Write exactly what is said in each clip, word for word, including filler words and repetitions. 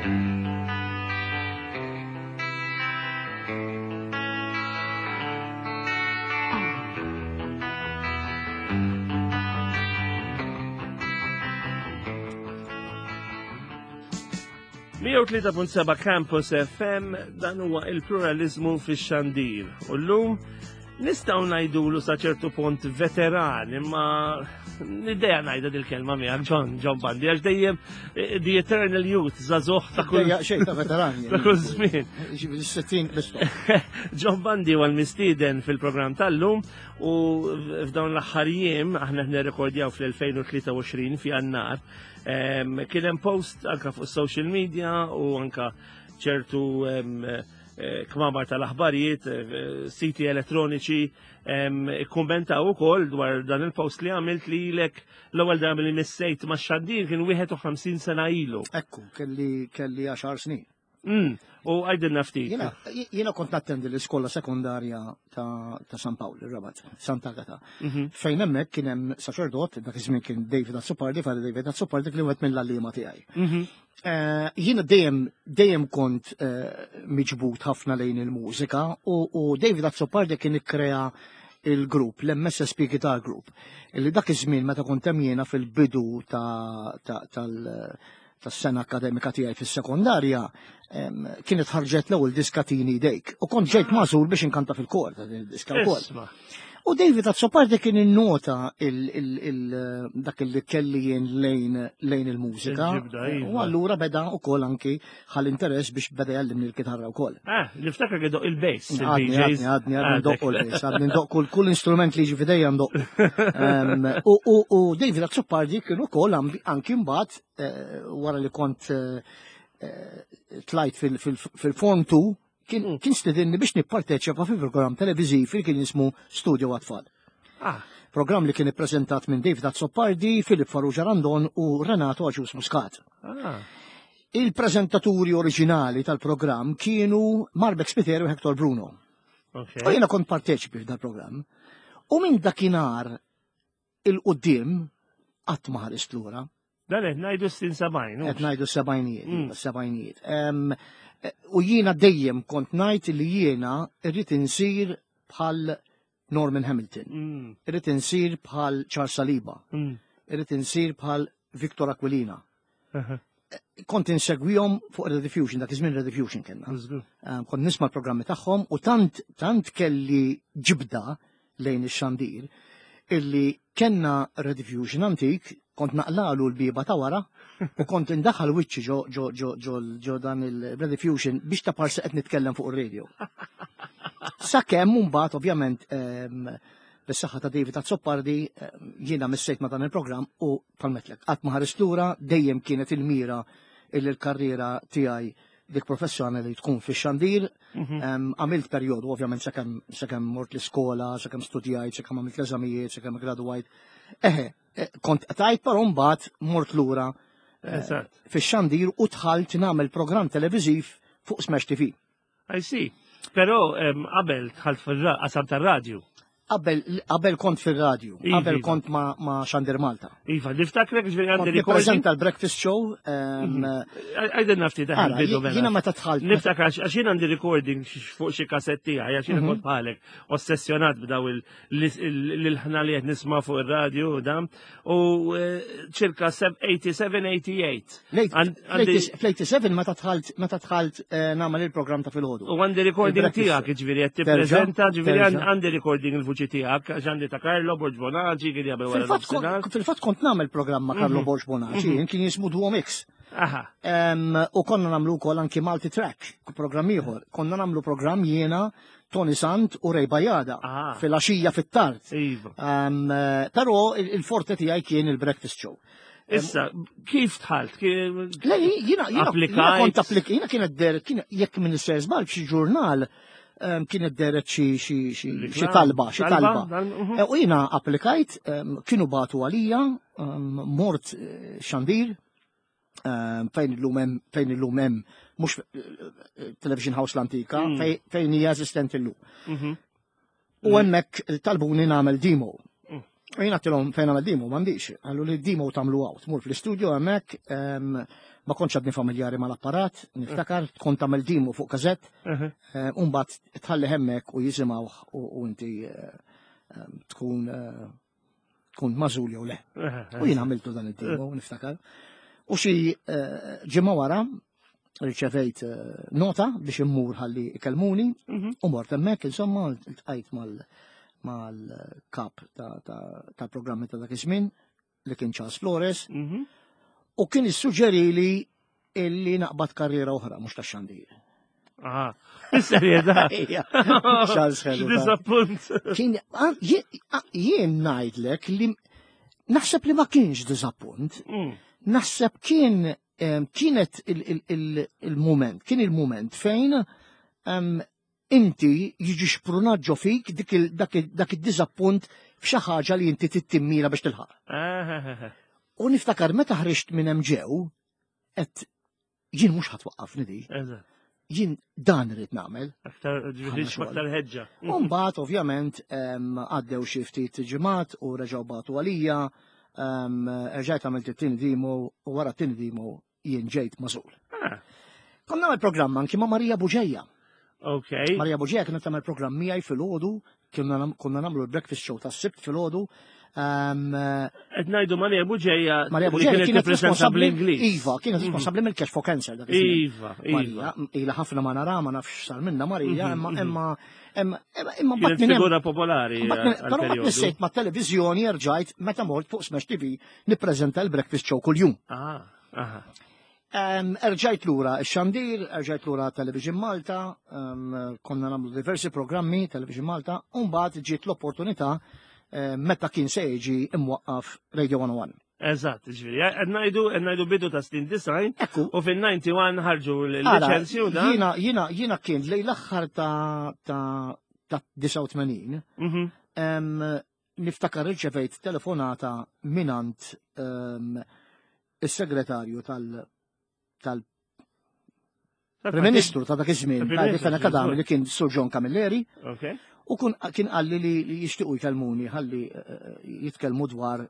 Mija u tlieta punt seba' Campus F M, dan huwa il-pluralizmu fix-xandir. U llum nistgħu ngħidulu sa ċertu punt veteran, imma l-idea ngħidha dil-kelma miegħek John, John Bundy, għax dejjem, eh, the eternal youth, żagħżugħ ta' kull Dejja xejn ta' veteran, ta' kull żmien. Ġifieri sittin l-istop. John Bundy huwa l-mistieden fil-programm tal-lum u f'dawn l-aħħar jiem aħna qed nirrekordjaw fl-elfejn u tlieta u għoxrin fi Jannar. Em, kien hemm post anka fuq social media u anka ċertu, em, eh, kmamar tal-aħbarijiet, eh, siti elettroniċi, em, ikkummentaw ukoll dwar dan il-post li għamilt li lilek l-ewwel darba li missejt ma' xandir kien wieħed u ħamsin sena ilu. Ekku, kelli, kelli għaxar snin. Mm, u għajdilna ftit. Jiena, jiena kont nattendi l-iskola sekondarja ta', ta' San Pawl, ir-Rabat, Santa Agata. Mhm. Fejn hemmhekk kien hemm saċerdot, dak iż-żmien kien David Azzopardi, Father David Azzopardi, kien wieħed mill-għalliema tiegħi. Mhm. Eh, jiena dejjem, dejjem kont, eh, miġbud ħafna lejn il-mużika u, u David Azzopardi kien ikkrea il-grupp, l-M S S P Guitar Group, illi dak iż-żmien meta kont hemm jiena fil-bidu ta', ta', tal-, tas-sena akademika tiegħi fis-sekondarja, em, kienet ħarġet l-ewwel diska Tini Dejk. U kont ġejt magħżul biex inkanta fil-kor ta' din id-diska wkoll. Isma'. U David Azzopardi kien innota il-, il-, il-, dak li kelli jien lejn, lejn il-mużika. Il-ġibda, iva. U allura beda wkoll anki ħal interess biex beda jgħallimni l-kitarra wkoll. Ah, niftakar li doq il-bass, Għadni, il-D Js. għadni, għadni, għadni Għadek. ndoq il-bass, għadni ndoq kull, kull instrument li jiġi f'idejja ndoq. Em, u, u, u David Azzopardi kien ukoll ambi-, anki mbagħad, eh, wara li kont, eh, eh, tlajt fil-, fil-, fil-Form two, kien, Mm. kien stedinni biex nipparteċipa fi programm televiżiv li kien jismu Studio Għat-Tfal. Ah. Programm li kien ippreżentat minn David Azzopardi, Filip Farrugia Randon u Renato Agius Muscat. Ah. Il-preżentaturi oriġinali tal-programm kienu Marbeck Spiteri u Hector Bruno. Okay. U jiena kont parteċipi f'dal programm. U minn dakinhar il-qudiem qatt ma ħarist lura. Dan qed ngħidu s-sin sebgħin, Qed ngħidu s-sebgħinijiet, Mm. s-sebgħinijiet. Em, u jiena dejjem kont ngħid li jiena rrid insir bħal Norman Hamilton. Mm. Irrid insir bħal Charles Saliba. Mm. Irrid insir bħal Victor Aquilina. Aha. Kont insegwihom fuq Rediffusion, dak iż-żmien Rediffusion kellna. Żgur. Em, kont nisma' l-programmi tagħhom u tant, tant kelli ġibda lejn ix-xandir illi kellna Rediffusion antik, kont naqlalu l-biba ta' wara u kont indaħħal wiċċi ġo, ġo, ġo, ġo, ġo dan il-Rediffusion biex ta' parsi qed nitkellem fuq ir-radio. Sakemm mbagħad ovvjament, em, bis-saħħa ta' David Azzopardi, em, jiena missejt ma' dan il-programm u palmetlek qatt ma ħarist lura, dejjem kienet il-mira illi l-karriera tiegħi dik professjonali tkun fix-xandir. Mhm. Em, għamilt perjodu ovvjament sakemm, sakemm mort l-iskola, sakemm studjajt, sakemm għamilt l-eżamijiet, sakemm gradwajt. Eħe, eh, kont tajt, però mbagħad mort lura, eh, Eżatt. fix-xandir u dħalt nagħmel programm televiżiv fuq Smash T V. I see. Però, em, qabel dħalt fil-qasam tar-radju. Qabel, qabel kont fir-radju, Iva, qabel iva. kont ma', ma' Xandir Malta. Iva, niftakrek ġifieri għandi Kont recording. nippreżenta l-breakfast show, em, Mhm. Għajdilna ftit daħal Ara, bidu ji-, mela. jiena meta dħalt, Niftakar għax, għax jien għandi recording x-, fuq xi kassetti tiegħi, għax jiena Mhm. kont bħalek ossessjonat b'daw il-, l-, l-ħna li qed nisma' fuq ir-radju u dan, u, eh, ċirka seb-, eighty-seven, eighty-eight. Late, Għand-, għandi late, fl-eighty-seven meta dħalt, meta dħalt, eh, nagħmel il-programm ta' filgħodu. U għandi recording Il-breakfast tiegħek, show. jiġifieri qed Terġa', tippreżenta, ġifieri terġa'. għand-, għandi recording il-vuċi tiegħek, għax għandi ta' Carlo Borg Bonaci, kien jagħmel wara Fil-fatt kon- nofsinhar. fil-fatt kont nagħmel programm ma' Carlo Mhm. Borg Bonaci, Mhm. kien jismu Duo Mix. Aha. Em, u konna nagħmlu wkoll anki Multi Track, programm ieħor. Konna nagħmlu programm jiena, Tony Sant u Ray Bajada Ah. fil-għaxija fit-tard. Iva. Em, però il-, il-forte tiegħi kien il-breakfast show. Issa, kif dħalt? Ki- Le, jiena, jiena, jiena Applikajt? kont applik-, jiena kienet deret, kien, jekk minn istess żball f'xi ġurnal, em, kienet deret xi, xi, xi, xi Reklam? talba, xi Talba? talba. Dal-, mhm. Eh, u jiena applikajt, em, kienu batu għalija, em, mort, eh, xandir, em, fejn illum hemm, fejn illum hemm, mhux, eh, eh, Television House l-antika, Mm. fej-, fejn hija eżistenti llum. Mhm. U hemmhekk talbuni nagħmel demo. Mm. U jiena għedtilhom fejn għamel demo, m'għandix. Qallu li demo tagħmlu hawn, tmur fl-istudio hemmhekk, em, ma kontx għadni familjari mal-apparat, niftakar, kont tagħmel demo fuq kazett, Mhm. u mbagħad tħalli hemmhekk u jisimgħuh u u inti eh, em, tkun eh, tkun magħżul jew le. U jien għamiltu dan id-demo, niftakar. U xi eh, ġimgħa wara riċevejt eh, nota biex immur ħalli ikellmuni Mhm. u mort hemmhekk insomma iltqajt mal mal-kap ta' ta' ta' programmi ta' dak iż-żmien li kien Charles Flores Mhm. u kien issuġġerili illi naqbad karriera oħra mhux tax-xandir. Aha. Bis-serjetà. Ejja, Charles Hellu. Disappunt. Kien ah, jien ah, jien ngħidlek li naħseb li ma kienx diżappunt. Mm. Naħseb kien em, kienet il- il- il- il-moment, kien il-moment fejn em, inti jiġi xprunat ġo fik dik il- dak il- dak id-diżappunt f'xi ħaġa li inti timmira biex tilħaq. Ah, U niftakar meta ħriġt minn hemm ġew, qed jien mhux ħa twaqqafni di, Eżatt. jien dan irid nagħmel. Aktar ġifieri xogħol. aktar ħeġġa. U mbagħad ovvjament em, għaddew xi ftit ġimgħat u reġgħu bagħtu għalija, em, rġajt għamilt it-tieni demo u wara t-tieni demo jien ġejt magħżul. Ah, Konna nagħmel programm anki ma' Marija Buġeja. Ok. Marija Buġeja kienet tagħmel programm miegħi filgħodu, konna nam- konna nagħmlu l-breakfast show tas-Sibt filgħodu. Em, Qed ngħidu Marija Buġeja Marija li Buġeja kienet kienet tippreżenta responsabbli bl-Ingliż. Iva, kienet responsabbli mill-Cash for Cancer dak iż-żmien. Iva, iva. Marija, ila ħafna ma nara, ma nafx sar minna Marija, Mhm, imma mhm. imma imma imma mbagħad Kienet minn hemm figura popolari Mbagħad minn- għal Però mbagħad perjodu. nissejt ma' televizjoni rġajt meta mort fuq Smash T V nippreżenta l-breakfast show kuljum. Ah, aha. Um, Erġajt lura x-xandir, erġajt lura Television Malta, um, konna nagħmlu diversi programmi Television Malta, u mbagħad ġiet l-opportunità eh, meta kien se jiġi imwaqqaf Radio one oh one. Eżatt, ġifieri. Qed ngħidu qed ngħidu bidu ta' snin disgħin Ekku, u fin-disgħa u disgħin ħarġu ara, l-liċenzji u dan. jiena jiena jiena kien lejn l-aħħar ta' ta' ta' disgħa u tmenin, Mhm. em, niftakar riċevejt telefonata minant em, is-segretarju tal tal Prim Ministru ta' dak iż-żmien, Tal-Prim ta' Ministru, Fenech Adami li kien Sur John Camilleri, Ok. u kun kien qalli li li jixtiequ jkellmuni ħalli eh, jitkellmu dwar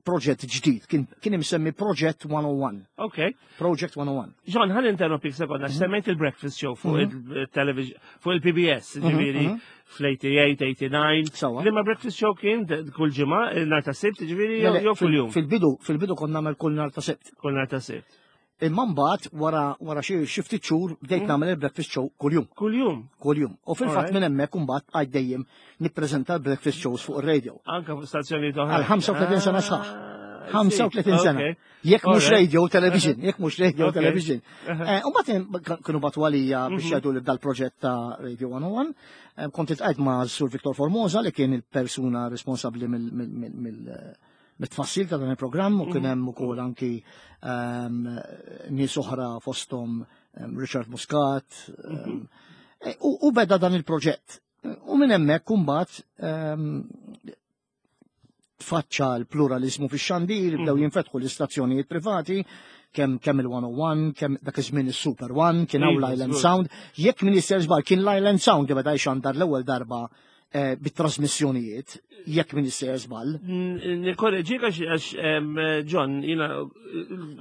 proġett ġdid, kien kien imsemmi Project one oh one. Ok. Project one oh one. John, ħa ninterrompik sekonda, Mhm. semmejt il-breakfast show fuq il-television, fuq il-P B S, ġifieri mhm. fl-tmienja u tmenin, tmienja u disgħin. Sawa. Liema breakfast show kien kull ġimgħa, nhar ta' Sibt, ġifieri, Le, le, jew fil- kull jum? Fil-bidu, fil-bidu konna nagħmel kull nhar ta' Sibt. Kull nhar ta' Sibt. Imma mbagħad wara wara xi xi ftit xhur bdejt nagħmel il-breakfast show kuljum, Kull jum. Kuljum. U fil-fatt Alright. minn hemmhekk imbagħad għad dejjem nippreżenta l-breakfast shows fuq ir-radio. Anka fuq stazzjoni oħra. Għal ħamsa u tletin sena sħaħ. Ah, ħamsa u tletin sena. Ok. Jekk mhux Alright. radio, television, jekk mhux radio, Ok. television. Uh-huh. Eh, U mbagħad kienu bagħtu għalija biex Mhm. jgħidu li dal-proġett ta' Radio one oh one. Eh, Kont iltqajt ma' Sur Victor Formosa li kien il-persuna responsabbli mill- mill- mill- mill- mit-tfassil ta' dan il-programm u kien Mhm. hemm ukoll anki ehm, nies oħra fosthom ehm, Richard Muscat. ehm, eh, U u beda dan il-proġett. U minn hemmhekk imbagħad ehm, tfaċċa l-pluralizmu fix-xandir, bdew Mhm. jinfetħu l-istazzjonijiet privati, kemm kemm il-one oh one, kemm dak iż-żmien is-Super One, kien hawn Iva, l-Island żgur. Sound. Jekk min żball kien l-Island Sound li beda jxandar l-ewwel darba eh, bit-trasmissjonijiet, jekk min żball. Nikorreġik għax għax, em, John, jiena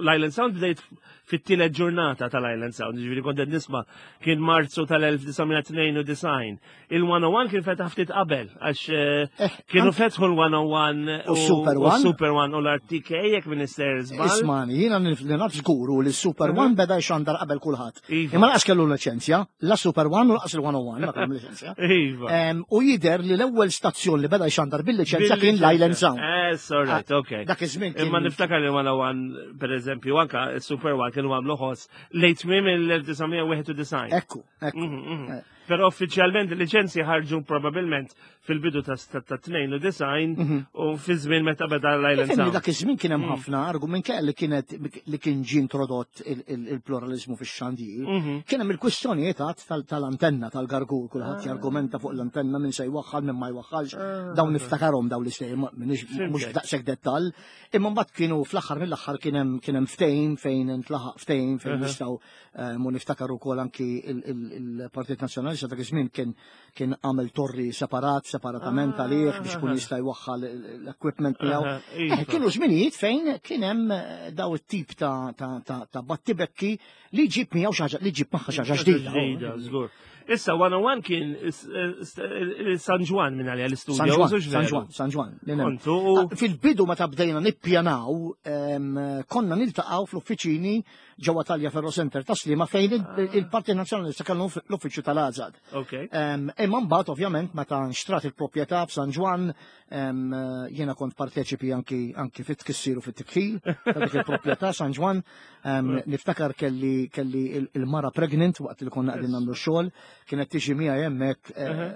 l-Island Sound bdejt fit-tielet ġurnata tal-Island Sound, ġifieri kont qed nisma' kien Marzu tal-elf disa' mija tnejn u disgħin. Il-one oh one kien fetaħ ftit qabel, għax eh, Eh, kienu fetħu l-one oh one U Super u One. Super One u l-R T K jekk minister żball. Ismani, jiena li naf żguru li Super One beda jxandar qabel kulħadd. Iva. Imma lanqas kellu liċenzja, la Super One u lanqas il-one oh one ma kellhom liċenzja. Iva. Em, U jider li l-ewwel stazzjon li beda jxandar bil-liċenzja kien l-Island Sound. Eh, sorry, ok. Dak iż-żmien kien Imma niftakar li one oh one, per eżempju, anka Super One kienu għamlu ħoss lejn tmiem il-elf disa' mija wieħed u disgħin. Ekku, ekku. Mhm, mhm. Eh. Però uffiċjalment il-liċenzji ħarġu probabilment fil-bidu ta' ta' tnejn u disgħin u fi żmien meta beda l-Island Ifhimni Sound. dak iż-żmien kien Mm. hemm ħafna argument li kienet li kien ġie introdott il- il- il-pluralizmu fix-xandir. Mhm. Kien hemm il-kwistjonijiet għad tal- tal-antenna tal-gargur, kulħadd Ah. jargumenta fuq l-antenna min se jwaħħal min ma jwaħħalx. Dawn niftakarhom dawn l-istejjer mhux Fhimtek. daqshekk dettall. Imma mbagħad kienu fl-aħħar mill-aħħar kien hemm kien hemm ftehim fejn intlaħaq ftehim fejn Uh-huh. nistgħu eh, mu niftakar ukoll anki il- il- il-Partit Nazzjonalista Nazzjonalista dak iż-żmien kien kien għamel torri separat, separatament Ah. għalih biex ikun jista' jwaħħal l-equipment tiegħu. Aha, iva. Eh, Kienu żminijiet fejn kien hemm eh, daw it-tip ta' ta' ta' ta' battibekki li ġib miegħu xi ħaġa li ġib magħha xi ħaġa ġdida. Ġdida, żgur. Issa, one oh one kien is- is- San Ġwann minn għalija l-istudio. San Ġwann, hux veru? San Ġwann, San Ġwann. li hemm. Kontu u Ah, Fil-bidu meta bdejna nippjanaw, em, konna niltaqgħu fl-uffiċini ġewwa Tagliaferro Center ta' Sliema fejn il- il-Partit Nazzjonalista kellu l-uffiċċju tal-Azad. Ok. Em, Imma mbagħad ovvjament meta nxtrat il-proprjetà f'San Ġwann, em, jiena kont parteċipi anki anki fit-tkissir u fit-tikħil ta' dik il-proprjetà San Ġwann. Em, Niftakar kelli kelli il- il-mara pregnant waqt li konna qegħdin nagħmlu xogħol, kienet tiġi miegħi hemmhekk, eh,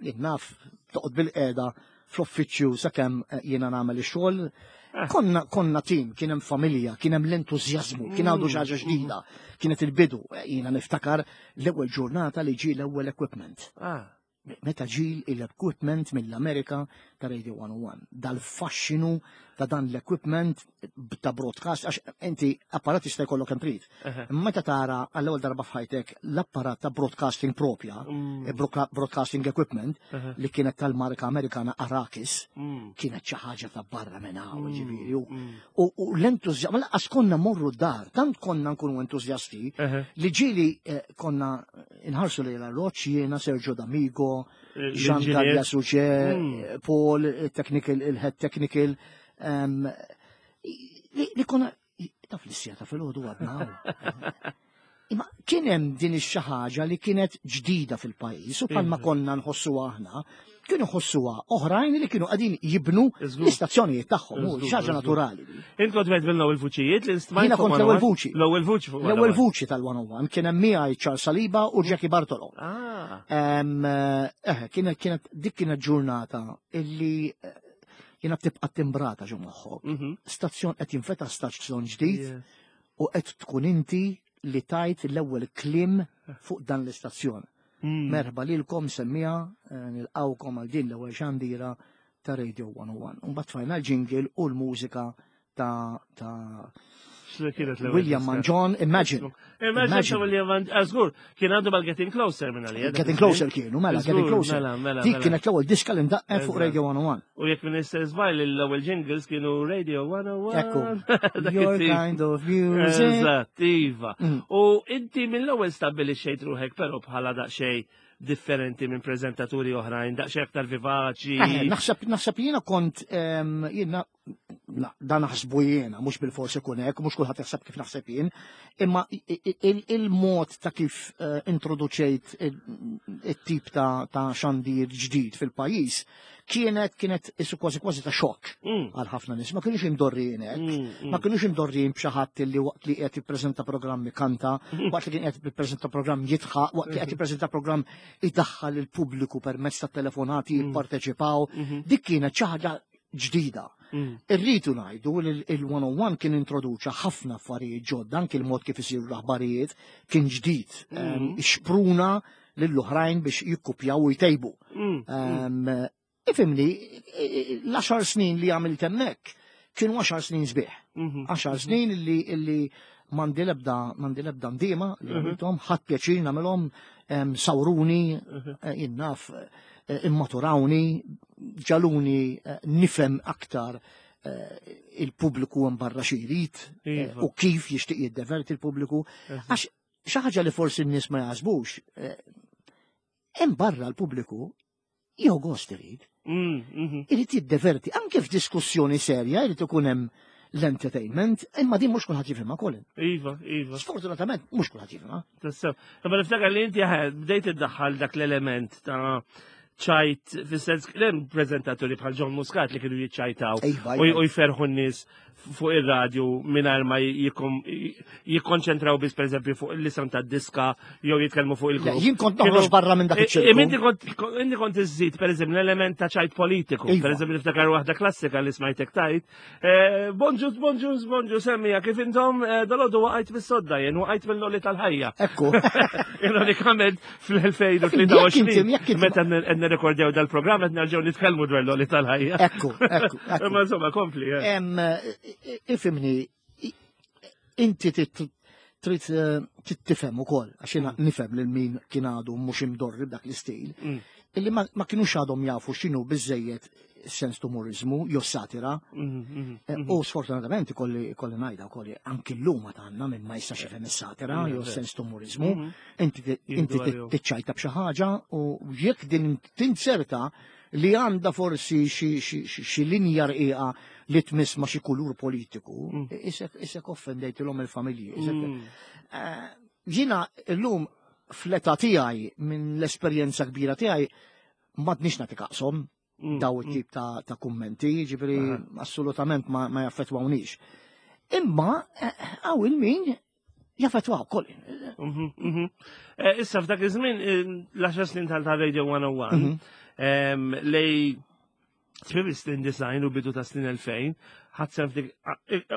jien naf, toqgħod bil-qiegħda fl-uffiċċju sakemm eh, jiena nagħmel ix-xogħol. Konna konna tim, kien hemm familja, kien hemm l-entużjażmu, kien għadu xi ħaġa ġdida, kienet il-bidu. Eh, Jiena niftakar l-ewwel ġurnata li ġie l-ewwel equipment. Ah, Meta ġie l-equipment mill-Amerika ta' Radio one oh one. Dal-faxxinu ta' dan l-equipment ta' broadcast, għax inti apparat jista' jkollok kemm trid. Aha. Meta tara għall-ewwel darba f'ħajtek l-apparat ta' broadcasting propja, Mm. eh, broadca- broadcasting equipment, Aha. li kienet tal-marka Amerikana Arakis, Mm. kienet xi ħaġa ta' barra minn hawn, ġifieri. U, Mm. u, u l-entużjażmu, lanqas konna morru d-dar, tant konna nkunu entużjasti, Aha. li ġieli eh, konna inħarsu li l-arroċ jiena, Sergio D'Amigo, Jean L-engineer. Gallia Suġe, Mm. Paul, il-technical, il-head technical, em, li, li konna, taf l-issija ta' filgħodu għadna hawn. Imma kien hemm din ix-xi ħaġa li kienet ġdida fil-pajjiż u bħalma Iva. konna nħossuha aħna, kienu ħossuha oħrajn li kienu qegħdin jibnu Żgur. l-istazzjonijiet tagħhom, u Żgur, xi ħaġa żgur. naturali. Int kont wieħed mill-ewwel vuċijiet li stmajt Jiena fuq kont l-ewwel one oh one? vuċi. L-ewwel vuċi fuq L-ewwel one oh one. vuċi tal-one oh one kien hemm miegħi Charles Saliba u Jackie Bartolo. Ah. Em, eh, kienet kienet dik kienet ġurnata illi eh, jiena tibqa' timbrata ġo moħħok. Mhm. Stazzjon qed jinfetaħ, stazzjon ġdid, Yeah. u qed tkun inti li tajt l-ewwel kliem fuq dan l-istazzjon. Mm. Merħba lilkom semmija, eh, nilqawkom għal din l-ewwel xandira ta' Radio one oh one. Mbagħad tfajna l-jingle u l-mużika ta' ta' X'li kienet l-ewwel William diska? Mangion, Imagine. Imagine ta' Imagine. William Mangion. Ah, żgur, kien għandu mal-Getting Closer minn għalija. dak Getting iż-żmien. Closer kienu, mela, Żgur, Getting Closer. Mela, mela, Dik mela. kienet l-ewwel diska li ndaqqet fuq Eżatt. Radio one oh one. U jekk minn istess żbajl, l-ewwel jingles kienu Radio one oh one. Ekku. Dak Your it-tip. kind of music. Eżatt, iva. Mm. U inti mill-ewwel stabbilixxejt ruħek però bħala daqsxejn differenti minn preżentaturi oħrajn, daqsxejn aktar vivaċi. Eh, Naħseb naħseb jiena kont em, jiena na- dan naħsbu jiena, mhux bil-forsi ikun hekk, mhux kulħadd jaħseb kif naħseb jien, imma i- i- il- il-mod ta' kif eh, introduċejt il- it-tip ta' ta' xandir ġdid fil-pajjiż kienet kienet isu kważi kważi ta' xokk Mm. għal ħafna nies. Ma kienux imdorrijin hekk. Mm, mm. Ma kienux imdorrijin b'xi ħadd li waqt li qed jippreżenta programm kanta, waqt li kien qed jippreżenta programm jidħaq, waqt li qed jippreżenta programm idaħħal il-pubbliku permezz ta' telefonati jipparteċipaw. Mhm. Dik kienet xi ħaġa ġdida. Mm. Irridu ngħidu li il-one oh one kien introduċa ħafna affarijiet ġodda, anki il-mod kif isiru l-aħbarijiet kien ġdid. Mm. Em, Xpruna lill-oħrajn biex jikkupjaw u jtejbu. Mm. Em, Ifhimni, l-għaxar snin li għamilt hemmhekk kienu għaxar snin sbieħ. Mhm. Għaxar snin li illi m'għandi lebda m'għandi lebda ndiema li Mhm. għamilthom, ħadt pjaċir nagħmilhom, em, sawruni, Mhm. eh, jien naf, eh, immaturawni, ġagħluni eh, nifhem aktar eh, il-pubbliku hemm barra xi jrid eh, Iva. u kif jixtieq jiddeverti il-pubbliku. Għax xi ħaġa li forsi n-nies ma jaħsbux, eh, hemm barra l-pubbliku jew gost irid, Mm, mhm. irid jiddeverti, anke f'diskussjoni serja irid ikun hemm l-entertainment, imma din mhux kulħadd jifhimha, Colin. Iva, iva. Sfortunatament mhux kulħadd jifhimha. Tassew. Imma niftakar li inti ħed, bdejt iddaħħal dak l-element ta' ċajt, fis-sens hemm preżentaturi bħal John Muscat li kienu jiċċajtaw Iva, u iva. u jferħu n-nies fuq ir-radju mingħajr ma jikom- jikkonċentraw biss pereżempju fuq l-isem tad-diska jew jitkellmu fuq Le, il-grupp. jien kont noħroġ barra minn dak iċ-ċirku. Imma inti kont inti kont iżżid pereżempju l-element ta' ċajt politiku. Iva. Pereżempju niftakar waħda klassika li smajtek tajt. Eh, Bonġu, bonġu, bonġu, semmija, kif intom eh, dalgħodu waqajt bis-sodda jien, waqajt mill-għoli tal-ħajja. Ekku. Ironikament Jekk inti- fl-elfejn u tlieta u għoxrin jekk inti- meta qed nirrekordjaw dal-programm qed nerġgħu nitkellmu dwar l-għoli tal-ħajja. Ekku, ekku, ekku. Imma insomma kompli. eh. Em, ifhimni, inti tit- trid eh, trid tifhem ukoll, għax jiena nifhem lil min kien għadu mhux imdorri b'dak l-istil, Mm. illi ma ma kinux għadhom jafu x'inhu biżejjed sens t'umorizmu jew satira. Mhm, mhm, Eh, U sfortunatament ikolli ikolli ngħidha wkoll anki llum għandna min ma jistax jifhem is-satira jew Mm, sens t'umorizmu. mhm. Inti inti Jiddu għalihom. tiċċajta b'xi ħaġa u jekk din tinserta li għandha forsi xi- xi xi- xi linja rqiqa li tmiss ma xi kulur politiku, Mm. isek isek offendejtilhom il-familji. isek- Mm. Eh, Jiena llum fl-età tiegħi minn l-esperjenza kbira tiegħi m'għadniex nagħti kashom Mm, daw it-tip ta', ta' kummenti, ġifieri Aha. assolutament ma, ma jaffettwawnix. Imma eh, hawn il-min jaffettwaw koll. Mhm, mhm. Eh, Issa f'dak iż-żmien eh, l-għaxar snin tal ta' Radio one oh one Mhm. em, lejn tmiem is-snin disgħin u bidu ta' snin elfejn ħadt dik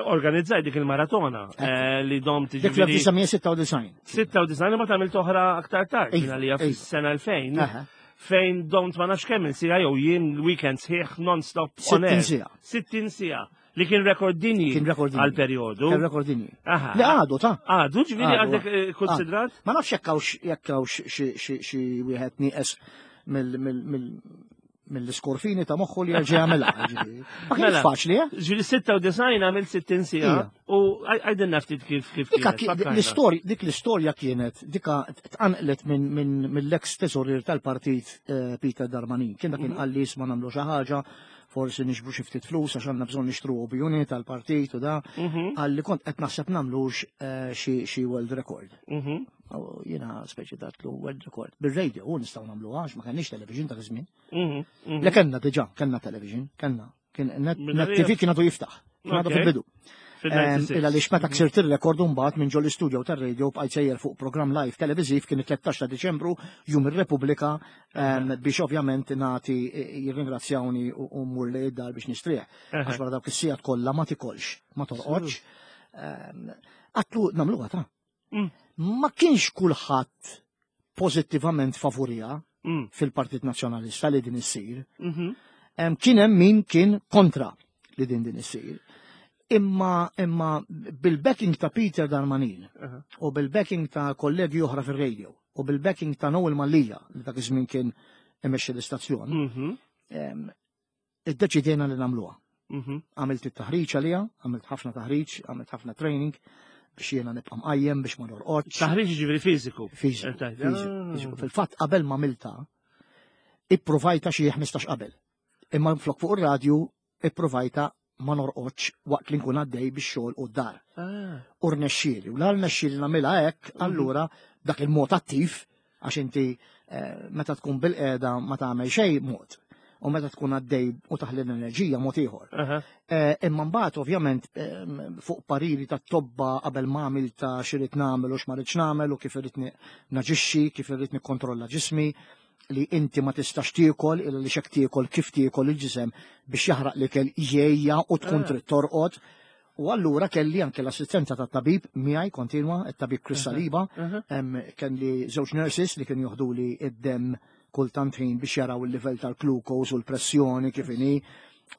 organizzaj dik il-maratona eh, li dom Dik tiġifieri fl-elf disa' mija sitta u disgħin. sitta u disgħin, ma tagħmel oħra aktar tard Iva, minn għalija iva. fis-sena elfejn Aha. fejn domt ma nafx kemm siegħa jew jien weekend sħiħ non-stop on air. sittin siegħa. sittin siegħa li kien rekord dinji Kien rekord dinji. għal periodu. Kien rekord dinji. Aha. Li għadu ta' Għadu, ġifieri Għadu, għadek eh, konsidrat? Ma nafx jekk hawnx jekk hawnx xi xi xi wieħed nieqes mill mill mill mill-iskorfini ta' moħħu li jerġa' jagħmilha. Ġifieri. Ma kienx Mela. faċli, eh? Ġifieri sitta u disgħin għamil sittin siegħa Ija. u għajdilna ftit kif kif Dika kienet, ki- fakkarna. l-istorja, dik l-istorja kienet, dika tqanqlet minn min, mill-ex tesorir tal-partit eh, Peter Darmanin. Kien dak kien qalli, "Isma', nagħmlu xi ħaġa, forsi nixbru xi ftit flus għax għandna bżonn nixtru O B unit tal-partit u da." Mhm, Qalli kont qed naħseb nagħmlux eh, xi xi world record. mhm. U jiena speċi għedtlu, "World record? Bir-radio u nistgħu nagħmlu għax ma kenniex television dak iż-żmien." Mhm, mhm. Le, kellna diġà, kellna television, kellna. Kien Net Minn Net għalija- T V kien għadu jiftaħ. Kien għadu Ok. fil-bidu. Fil-disgħa u disgħin. Illa li meta ksirt il-rekord, mbagħad minn ġol studio tar-radio bqajt sejjer fuq programm live televiżiv, kien it-tlettax ta' Diċembru, Jum ir-Repubblika, em, biex ovvjament nagħti jirringrazzjawni u u mmur li id-dar biex nistrieħ. Għax wara dawk is-sigħat kollha ma tikolx, ma torqodx. Em, Għedtlu nagħmluha ta. Mm. Ma kienx kulħadd pożittivament favurija Mm, fil-Partit Nazzjonalista li din issir. mhm. Em, Kien hemm min kien kontra li din din issir. Imma imma bil-backing ta' Peter Darmanin Aha. u bil-backing ta' kollegi oħra fir-radio u bil-backing ta' Noel Mallia li dak iż-żmien kien imexxi l-istazzjon, Mhm, em, iddeċidejna li nagħmluha. mhm. Għamilt it-taħriġ għalija, għamilt ħafna taħriġ, għamilt ħafna training biex jiena nibqa' mqajjem biex ma norqodx. Taħriġ ġifieri fiżiku. Fiżiku, Eh, fiżiku, ah. fiżiku. Fil-fatt qabel ma għamilta, ipprovajta xi ħmistax qabel. Imma flok fuq ir-radju ipprovajta ma norqodx waqt li nkun għaddej bix-xogħol u d-dar. Ah. U rnexxieli. U la rnexxieli nagħmilha hekk, allura dak il-mod attiv, għax inti eh, meta tkun bil-qiegħda ma tagħmel xejn mod. U meta tkun għaddej u taħli l-enerġija mod ieħor. Aha. Eh, Imma mbagħad ovvjament em, fuq pariri ta' tobba qabel ma għamilta x'irid nagħmel u x'ma rridx nagħmel u kif irrid ni- naġixxi, kif irrid nikkontrolla ġismi, li inti ma tistax tiekol illa li xek tiekol kif tiekol il-ġisem biex jaħraq l-ikel jgħejja u tkun Ah. trid torqod. U allura kelli anke l-assistenza tat tabib miegħi kontinwa, it-tabib Chris Saliba, Aha. em, kelli żewġ nurses li kienu joħdu li id-dem kultant ħin biex jaraw il-livell tal-glucose u l-pressjoni kif inhi.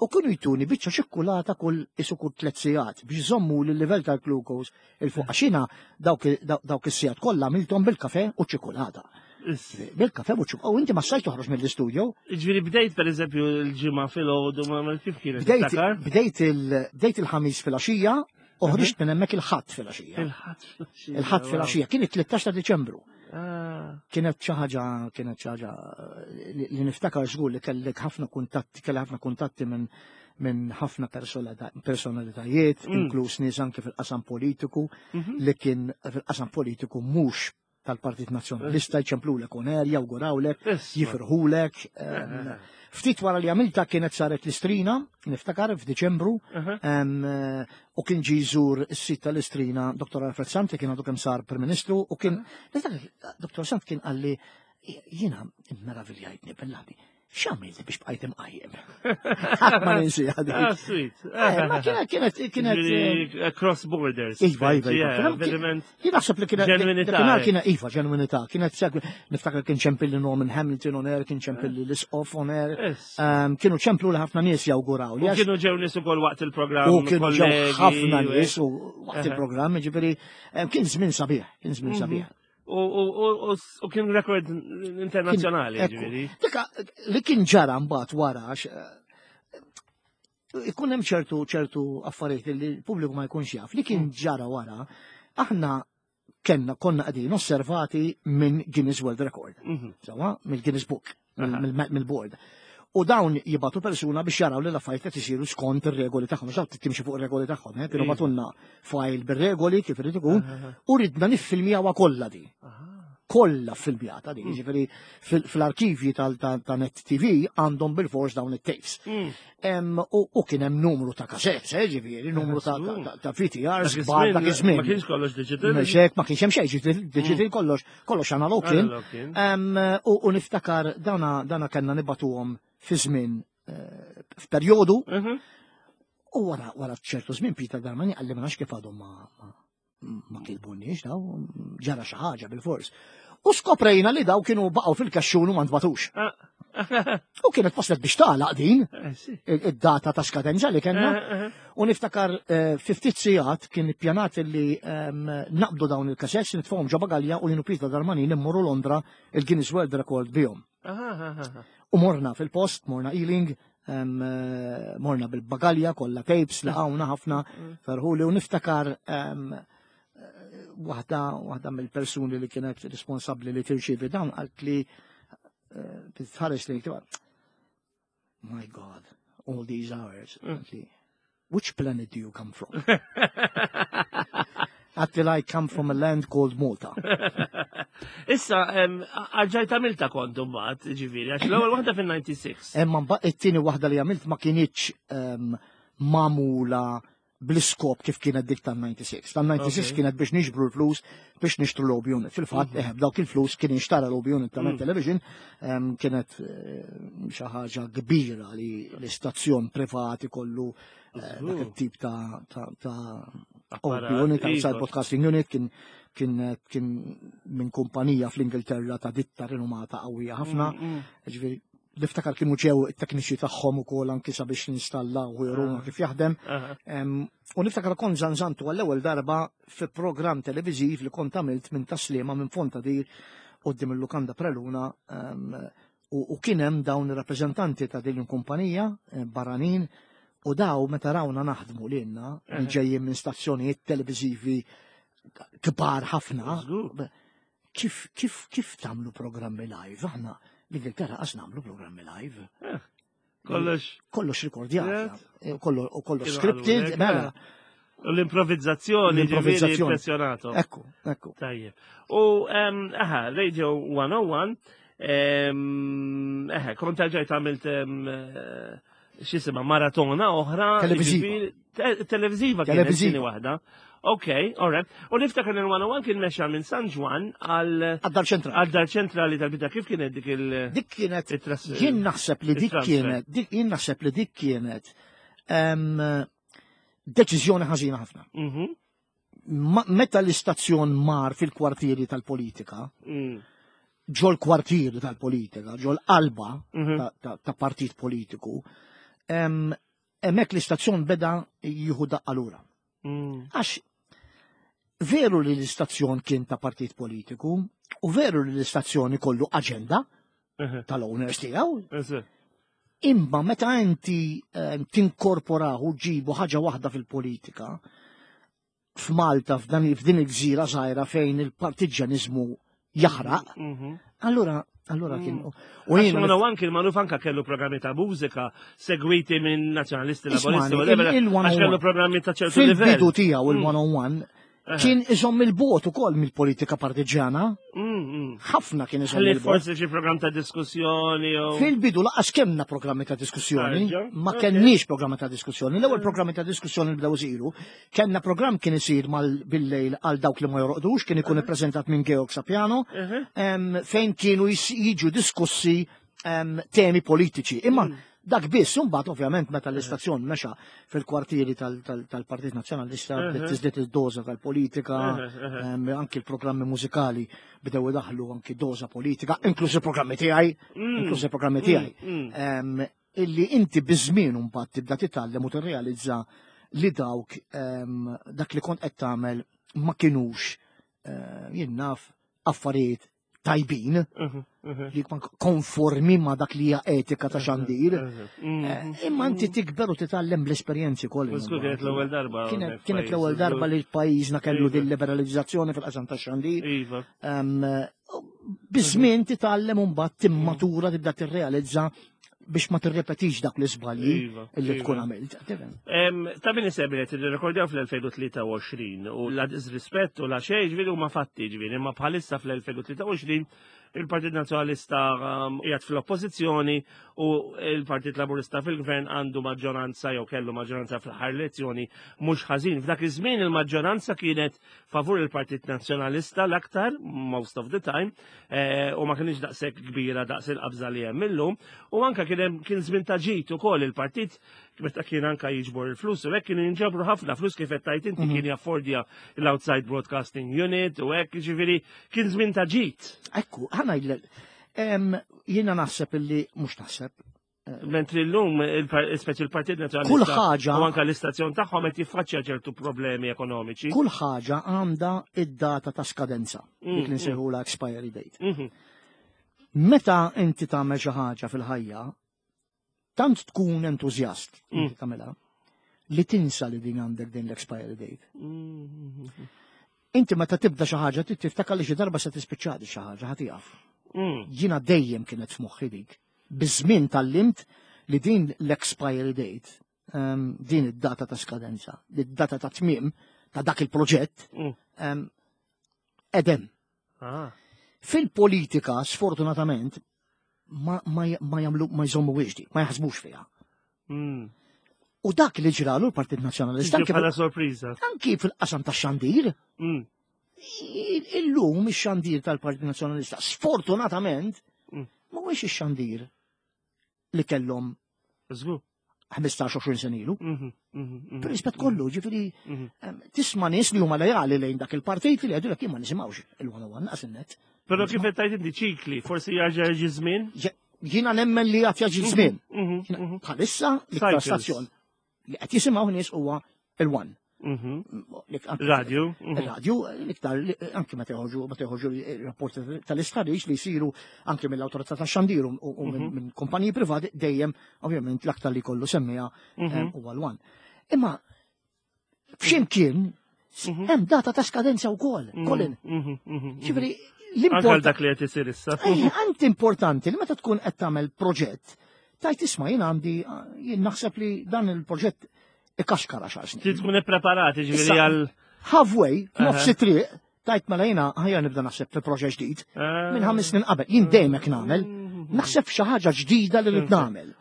U kienu jtuni biċċa ċikkulata kull isu kull tliet sigħat biex jżommu l-livell tal-glucose 'il fuq. Għax jiena dawk dawk is-sigħat kollha għamilthom bil-kafe u ċikkulata. Is- Bil-kafe u ċikkulata. U inti ma stajt toħroġ mill-istudio. Ġifieri bdejt per eżempju l-Ġimgħa filgħodu, ma ma kif kienet? Bdejt Tiftakar? bdejt il- bdejt il-Ħamis filgħaxija u ħriġt minn hemmhekk il-Ħadd filgħaxija. Il-Ħadd filgħaxija. Il-Ħadd wow. filgħaxija kien it-tlettax ta' Diċembru. Ah. Kienet xi ħaġa kienet xi ħaġa li li niftakar żgur li kellek ħafna kuntatti kelli ħafna kuntatti minn minn ħafna personalita- personalitajiet, Mm. inkluż nies anke fil-qasam politiku, Mhm. li kien fil-qasam politiku mhux tal-Partit Nazzjonalista, jċemplulek on air, jawgurawlek, Isma'. jifirħulek. em, Ftit wara li għamilta kienet saret l-Istrina, niftakar f'Diċembru, Aha. em, eh, u kien ġi jżur is-sit tal-Istrina Doktor Alfred Sant li kien għadu kemm sar Prim Ministru u kien niftakar Doktor Sant kien qalli, "Jiena meraviljajtni bil-laħbi. X'għamilt biex bqajt imqajjem? Ħadd ma ninsiha dik. Ah, sweet. Eh, ma kienet kienet kienet eh, Ġifieri, cross borders. Iva, iva, iva. Yeah, Kien- Verament. Jien naħseb li kienet Ġenwinità, dakinhar eh. kienet iva, ġenwinità, kienet segwi, niftakar kien ċempilli Norman Hamilton on air, kien ċempilli l-Isqof on air, Yes. Ehm, kienu ċemplu li ħafna nies jawguraw li U għax kienu ġew nies ukoll waqt il-programm. u kienu ġew kollegi, ħafna u- nies u waqt Eħe. il-programm, ġifieri ehm, kien żmien sabiħ, kien żmien Mhm. sabiħ. U, u, u, u, u kien rekord internazzjonali, Ekku. ġifieri. Dika, li kien ġara mbagħad wara għax eh, ikun hemm ċertu ċertu affarijiet li l-pubbliku ma jkunx jaf. Li kien ġara wara, aħna kenna konna qegħdin osservati minn Guinness World Record. Mhm. Sewwa, mill-Guinness Book, mill- Aha. mill- mill-board. U dawn jibagħtu persuna biex jaraw li l-affarijiet qed isiru skont ir-regoli tagħhom, għax timxi fuq ir-regoli tagħhom, eh? Kienu Iva. bagħtulna file bir-regoli kif irid ikun, Aha. u ridna niffilmjawha kollha di. Aha. Kollha filmjata di, Mm. ġifieri fil- fl-arkivji tal- ta' ta' Net T V għandhom bil-fors dawn it-tapes. Mm. Em, U u kien hemm numru ta' cassettes, eh, ġifieri, numru ta' ta- ta- ta' V T Rs Dak kbar dak iż-żmien iż-żmien. Ma kienx kollox digital. Mhux hekk, ma kienx hemm xejn digital, digital kollox, kollox analog kien. Analog kien. Em, U u niftakar dana dana kellna nibagħtuhom fi żmien eh, f'perjodu Mhm. u wara wara ċertu żmien Peter Darmani qalli ma nafx kif għadhom ma ma ma kilbunniex daw, ġara xi ħaġa bil-fors. U skoprejna li daw kienu baqgħu fil-kaxxun u ma ntbagħtux. Ah. U kienet waslet biex tagħlaq din Eh, sì. id-data ta' skadenza li kellna. Eh, eh, U niftakar eh, fi ftit sigħat kien ippjanat li ehm, naqbdu dawn il-cassettes, nitfgħuhom ġo bagalja u jien u Peter Darmani immorru Londra il-Guinness World Record bihom. Aha, aha, aha. U morna fil-post, morna Ealing, em, eh, morna bil-bagalja, kollha tapes, laqawna ħafna ferħuli u niftakar em, eh, waħda waħda mill-persuni li kienet responsabli li tirċivi dawn qalt li eh, tħares li "My God, all these hours." Qalt li, "Which planet do you come from?" Għedtilha, "I come from a land called Malta." Issa, em, għalġajt għamilta kont mbagħad, ġifieri, għax l-ewwel waħda fil-disgħa u disgħin. Emma mbagħad it-tieni waħda li għamilt ma kinitx em, magħmula bl-iskop kif kienet dik tan-disgħa u disgħin. Tan-disgħa u disgħin Ok. kienet biex niġbru l-flus biex nixtru l-O B unit. Fil-fatt, mm -hmm. dawk il-flus kien inxtara l-O B unit ta' Mm. Television, em, kienet eh, xi ħaġa kbira li l-istazzjon privat ikollu eh, dak it-tip ta' ta' ta' O B Apparat, unit, outside iva. broadcasting unit, kien kien kien minn kumpanija fl-Ingilterra ta' ditta rinomata qawwija ħafna. Mm, mm. Ġifieri, niftakar kienu ġew it-tekniċi tagħhom ukoll anki sabiex ninstallaw u juruna kif jaħdem. Aha. Em, U niftakar kont żanżantu għall-ewwel darba fi programm televiżiv li kont għamilt minn Tas-Sliema, minn Fontadir quddiem il-Lukanda Preluna em, u u kien hemm dawn ir-rappreżentanti ta' din il-kumpanija eh, barranin u daw meta rawna naħdmu lilna li Aha. ġejjin minn stazzjonijiet televiżivi kbar ħafna. Żgur. Kif kif kif tagħmlu programmi live? Aħna l-Ingilterra qas nagħmlu programmi live. Kollox. Kollox rikordjat. Yes. Kollox u kollox Kienu scripted, qalulek, mela. U l-improvizzazzjoni, ġifieri, L-improvizzazzjoni. impressjonato. Ekku, ekku. Tajjeb. U, em, aha, Radio one oh one, em, eħe, kont ġajt għamilt em, eh, x'jisimha maratona oħra. Televiziva. Ġifieri, te- Televiziva kienet Televiziva. tieni waħda. Ok, alright. U niftakar li l-one oh one kien mexa minn San Ġwann għal Għad-dar ċentrali. għal dar ċentrali tal-bida. Kif kienet dik il- Dik kienet, il-tras- jien naħseb li dik il-transfer? kienet, dik jien naħseb li dik kienet em, deċiżjoni ħażina ħafna. Mhm, Ma- Meta l-istazzjon mar fil-kwartieri tal-politika, mm, ġol kwartieri tal-politika, ġol qalba mhm. ta', ta, ta' partit politiku, em, hemmhekk l-istazzjon beda jieħu daqqa lura. Mm, Għax veru li l-istazzjon kien ta' partit politiku u veru li l-istazzjon ikollu aġenda mhm, tal-owners tiegħu, eżatt. imma meta inti eh, tinkorporaw u ġibu ħaġa waħda fil-politika, f'Malta, f'dan f'din il-gżira żgħira fejn il-partiġanizmu jaħraq, Mhm. allura allura kien Mm. u Għax jiena one oh one kien magħruf anka kellu programmi ta' mużika segwiti minn nazzjonalisti, Ismani, laboristi, whatever, il- il- għax kellu programmi ta' ċertu livell. fil-bidu tiegħu Mm. il-one oh one Aha. kien iżomm il-bogħod ukoll mill-politika partiġana, Mm, mm. ħafna kien iżomm Ħalli il-bogħod. forsi xi programm ta' diskussjoni jew. Fil-bidu lanqas kellna programmi ta' diskussjoni, Arġa, ma ok. kenniex programmi ta' diskussjoni. L-ewwel programmi ta' diskussjoni li bdew isiru, kellna programm kien isir mal bil-lejl għal dawk li ma jorqdux, kien ikun ippreżentat minn Georg Sapiano, Mhm. em, fejn kienu jis- jiġu diskussi em, temi politiċi. Imma dak biss, imbagħad ovvjament meta l-istazzjon mexa fil-kwartieri tal- tal- tal-Partit Nazzjonalista bdiet tiżdied id-doża tal-politika, em, anki l-programmi mużikali bdew idaħlu anki doża politika, inkluż il-programmi tiegħi, inkluż il-programmi tiegħi. Em, Illi inti biż-żmien mbagħad tibda titgħallem u tirrealizza li dawk em, dak li kont qed tagħmel ma kinux eh, jien naf affarijiet tajbin li ma konformi ma dak li hija etika ta' xandir. Eh, Imma inti tikber u titgħallem bl-esperjenzi kollha. Żgur kienet l-ewwel darba. Kienet hawnhekk kienet l-ewwel f'pajjiż. darba li pajjiżna kellu Iva. din liberalizzazzjoni fil-qasam ta' xandir. Iva. Em, Biż-żmien titgħallem u mbagħad timmatura, tibda tirrealizza biex ma tirrepetix dak l-iżbalji Iva, illi iva. tkun għamilt. Tifhem? Em, Ta' min isemmi li nirrekordjaw fl-elfejn u tlieta u għoxrin u la disrispett u la xejn, ġifieri huma fatti, ġifieri, imma bħalissa fl-elfejn u tlieta u għoxrin il-Partit Nazzjonalista um, qiegħed fl-oppożizzjoni u il-Partit Laburista fil-Gvern, għandu maġġoranza jew kellu maġġoranza fl-aħħar elezzjoni mhux ħażin. F'dak iż-żmien il-maġġoranza kienet favur il-Partit Nazzjonalista l-aktar, most of the time, eh, u ma kienx daqshekk kbira daqs il-qabża li hemm illum, u anka kien hemm kien żmien ta' ġid ukoll. Il-partit meta kien anka jiġbor il-flus u hekk, kienu jinġabru ħafna flus, kif qed tajt inti, kien jaffordja l-outside broadcasting unit u hekk, ġifieri kien żmien ta' ġid. Ekku, ħa ngħidlek, em, jiena naħseb illi, mhux naħseb, Mentri l-lum, speċi il-Partit Nazzjonalista Kull ħaġa- u anka l-istazzjon tagħhom qed jiffaċċja ċertu problemi ekonomiċi. Kull ħaġa għandha id-data ta' skadenza, dik li nsejħula expiry date. Mhm. Meta inti tagħmel xi ħaġa fil-ħajja, tant tkun entużjast inti tagħmilha li tinsa li din għandek din l-expiry date. Mhm. Inti meta tibda xi ħaġa trid tiftakar li xi darba se tispiċċa di xi ħaġa, ħa tieqaf. Mm. Jiena dejjem kienet f'moħħi dik. Biż-żmien tgħallimt li din l-expiry date, um, din id-data ta' skadenza, id-data ta' tmiem ta' dak il-proġett, Mm. um, edem. Ah. Fil-politika, sfortunatament, ma, ma, ma jagħmlu, ma jżommu di, ma jaħsbux fiha. Mm. U dak li ġralu l-Partit Nazzjonalista Tiġi anki bħala sorpriża. anki fil-qasam ta' xandir, Mm. illum ix-xandir tal-Partit Nazzjonalista, sfortunatament, Mm. mhuwiex ix-xandir li kellhom Żgur. ħmistax għoxrin sena ilu. Mhm, mhm, mhm. Per rispett kollu, ġifieri, Mhm. em, tisma' nies li huma lejali lejn dak il-partit li jgħidu jien ma nisimgħux il-one oh one naqas in-net. Però kif qed tgħid inti ċikli, forsi jarġa' jiġi żmien? Je- Jiena nemmen li għad jaġi żmien. Mhm, Jiena mhm, bħalissa l-iktar Cycles. stazzjon li qed jisimgħu nies huwa il-One. mhm. Li anki- Radio. mhm. Il-radio, l-iktar, li- anki meta joħorġu, meta joħorġu rapporti tal-istħarriġ li jsiru anki mill-awtorità tax-xandir u u minn minn kumpaniji privati, dejjem, ovvjament, l-aktar li kollu semmija Mhm. huwa l-One. Imma f'ximkien hemm data ta' skadenza wkoll, Colin. Mhm, mhm, mhm. Ġifieri Anke għal l-import dak li qed isir issa. Ej, anti importanti li meta tkun qed tagħmel proġett, tajt isma' jien għandi, jien naħseb li dan il-proġett ikaxkar għaxar snin. Trid tkun ippreparati ġifieri Issa- għal Halfway, f'nofs Aha. triq, tajt mela jiena ħajja nibda naħseb fi proġett ġdid. Ah. Minn ħames snin qabel, jien dejjem hekk nagħmel, naħseb f'xi ħaġa ġdida li rrid nagħmel.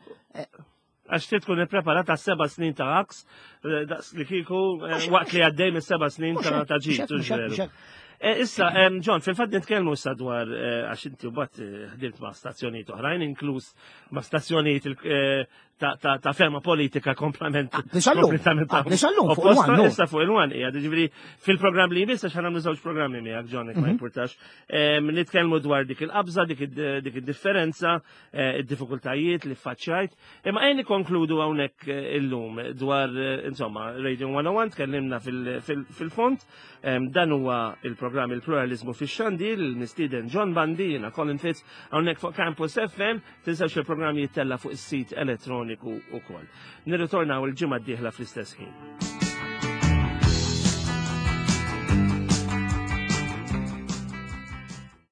Għax trid tkun ippreparat għas seba' snin ta' għaks, eh, daqs li kieku eh, waqt li għaddej mis seba' snin Mhux ta' hekk, ta' mhux ġid. hekk, Hux mhux hekk, veru? mhux hekk. Eh, Issa, em, John, fil-fatt nitkellmu issa dwar eh, għax inti mbagħad eh, ħdimt ma' stazzjonijiet oħrajn, inkluż ma' stazzjonijiet il- eh, ta' ta' ta' fema politika komplement Ah, nisallum. kompletament Ah, nisallum fuq opposta. il-One, no. Issa fuq il-One hija, ġifieri fil-programm li jmiss, għax ħa nagħmlu żewġ programmi miegħek, John, jekk ma Mhm. jimpurtax. Em, Nitkellmu dwar dik il-qabża, dik id- dik id-differenza, eh, id-diffikultajiet li faċċajt. Imma ejja nikkonkludu hawnhekk eh, illum dwar eh, insomma Radio one oh one, tkellimna fil- fil- fil-fond. Em, Dan huwa il-programm Il-Pluralizmu fix-Xandir, il-mistieden John Bundy, jiena Colin Fitz, hawnhekk fuq Campus F M. Tinsewx il-programm jittella fuq is-sit elettroniku ukoll. Nirritornaw il-ġimgħa d-dieħla fl-istess ħin.